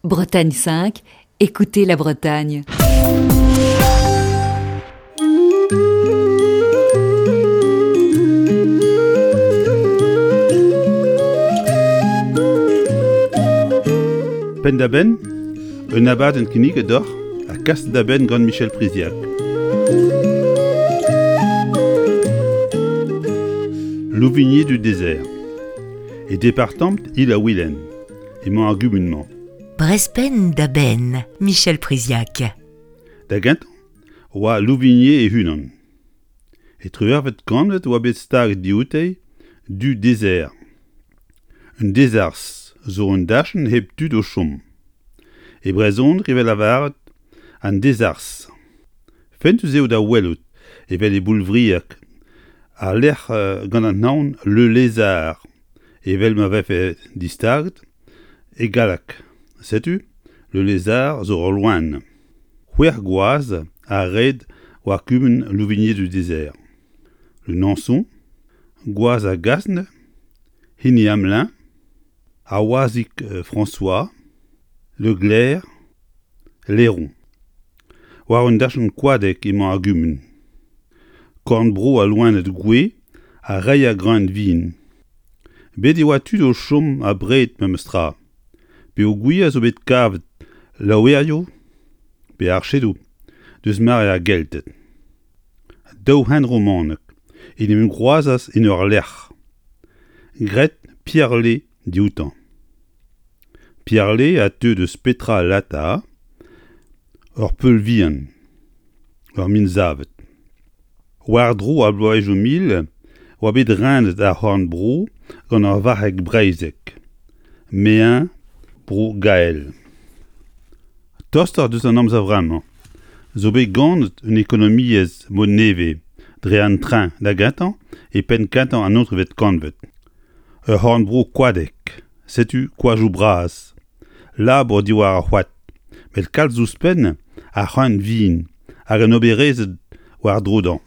Bretagne 5, écoutez la Bretagne. Penn-da-benn, un abadenn kinniget deoc'h ha kaset da benn gant Michel Priziac. Louvigny du Désert. E departamant Il-ha-Wilen emañ ar gumun-mañ. Brezpenn da benn, Michel Priziac. Da gentañ oa Louvigné e-unan. E triwec'hvet kantved oa bet staget dioute du Désert. Un dezerzh zo un dachenn hep tud o chom. E brezhoneg e vez lavaret an dezerzh. Fentus eo da welout evel e Boulvriag al lec'h gant an anv Le Lézard evel ma vefe distaget e galleg. Setu Le Lézard zo ul loen. C'hwec'h gwaz a red war kumun Louvigné-du-Désert. Le Nançon, gwaz a Gasne, hini Hamelin, ar wazhig François, Le Glaire, Leron. War un dachenn koadek emañ ar gumun. Korn-bro al loened gouez ha reiñ greun vin. Bet e oa tud o chom abred memes tra, peogwir zo bet kavet laouerioù pe archedoù deus mare ar Gelted. Daou hent romanek en em groazas en ur lec'h, graet Pierre-Lé dioutañ. Pierre-Lé a teu deus Petra Lata, ur peul vihan, ur min savet. War-dro ar bloavezhioù mil oa bet renet ar c'horn-bro gant ur varc'heg breizhek, Mean Bro-Gael. Tostoc'h deus an amzer vremañ zo bet ganet un ekonomiezh mod nevez dre an tren da gentañ e penn-kentañ an naontekvet kantved. Ur c'horn-bro koadek, setu koajoù bras, labour diwar ar c'hoad, met kalz ouzhpenn ar c'hreun vin hag an oberezed war-dro dezhañ.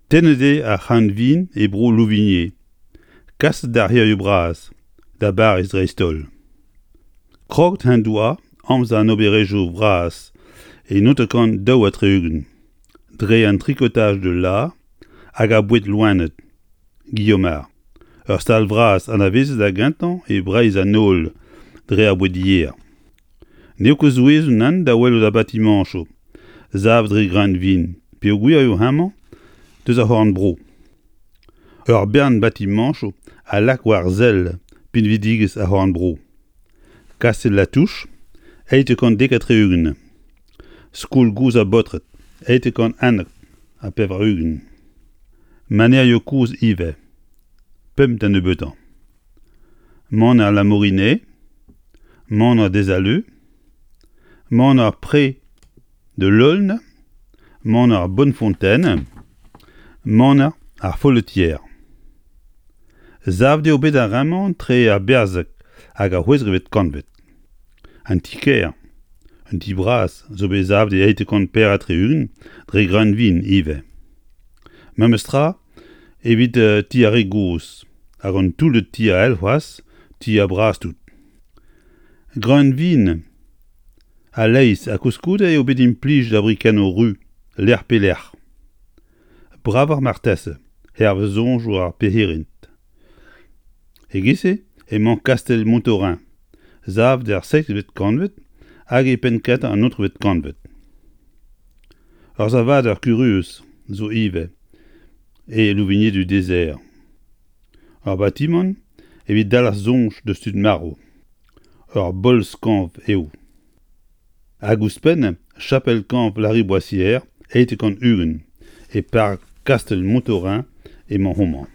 Tennet eo ar c'hreun vin e bro Louvigné, kaset d'ar c'hêrioù bras, da Bariz dreist-holl. Kroget en doa amzer an oberezhioù bras e 1962 dre an tricotage de la hag ar boued loened. Guillaumard. Ur stal vras anavezet da gentañ e Breizh an holl dre ar boued-yer. N'eo ket souezhus nann da welout ar batimañchoù savet dre greun vin peogwir eo hemañ deus ar c'horn-bro. Ur bern batimañchoù a lak war sell pinvidigezh ar c'horn-bro. Kastell La Touche, 870. Skol gozh ar baotred, 891. Manerioù kozh ivez, pemp da nebeutañ. Maner La Morinet, Maner Desaleux, Maner Pré de l'Aulne, Maner Bonnefontaine, Maner ar Folletière. Savet eo bet ar re-mañ tre ar berzeg hag ar c'hwezekvet kantved. An ti-kêr, un ti bras, zo bet savet e 864 dre greunvin ivez. Memes tra evit ti ar re gozh hag an toullad ti all c'hoazh, ti ar bras-tout. Greunvin a-leizh ha koulskoude eo bet implijet ar brikennoù ru lec'h pe lec'h. Bravoc'h marteze hervez soñjoù ar perc'hirint. E-giz-se emañ kastell Montaurin, savet er seizhvet kantved hag e penn-kentañ an naontekvet kantved. Ur savadur kurius zo ivez e Louvigné-du-Désert. Ur batimant evit dalc'h soñj deus tud marv. Ur bolz-kañv eo. Hag ouzhpenn chapel-kañv Lariboisière 820 e park kastell Montaurin emañ homañ.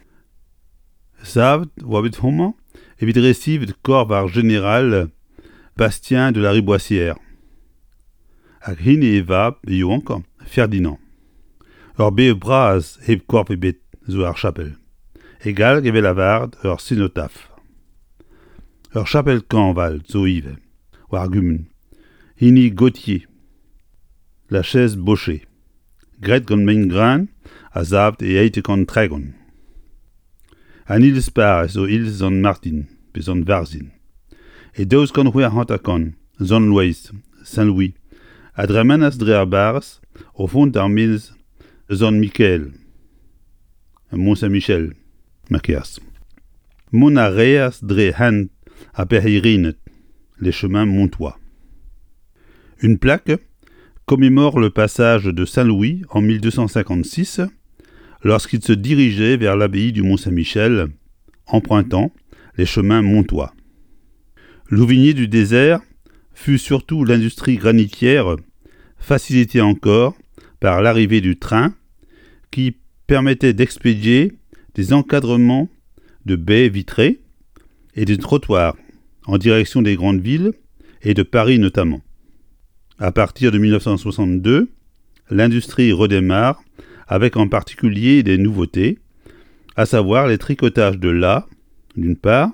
Savet oa bet homañ evit resivet korf ar jeneral Bastien de Lariboisière hag hini e vab yaouankañ Ferdinand. Ur bev bras hep korf ebet zo er chapel. E galleg e vez lavaret ur senotaf. Ur chapel-kañv all zo ivez war ar gumun, hini Gauthier, La Chaise-Baucher, graet gant mein-greun ha savet e 830. An iliz-parrez zo iliz Sant Martin pe Sant Varzhin. E 1256, Sant Loeiz, Saint-Louis, a dremenas dre ar barrez o vont d'ar menez Sant-Mikael, Mont-Saint-Michel, ma kerz. Mont a reas dre hent ar Berc'hirined, les chemins montois. Une plaque commémore le passage de Saint-Louis en 1256 lorsqu'il se dirigeait vers l'abbaye du Mont-Saint-Michel, empruntant les chemins montois. Louvigny du désert fut surtout l'industrie granitière, facilitée encore par l'arrivée du train qui permettait d'expédier des encadrements de baies vitrées et des trottoirs en direction des grandes villes et de Paris notamment. À partir de 1962, l'industrie redémarre avec en particulier des nouveautés, à savoir les tricotages de lin d'une part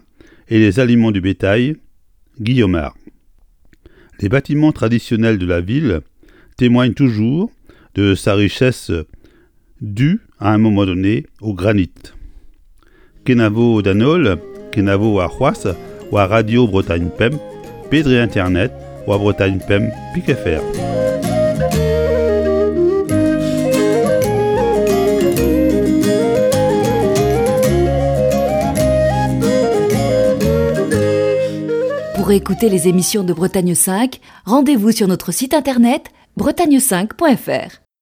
et les aliments du bétail Guillaumard. Les bâtiments traditionnels de la ville témoignent toujours de sa richesse due à un moment donné au granit. Kenavo d'an holl, kenavo arc'hoazh war Radio Bretagne Pemp pe dre internet war Bretagne Pemp pik fr. Pour écouter les émissions de Bretagne 5, rendez-vous sur notre site internet bretagne5.fr.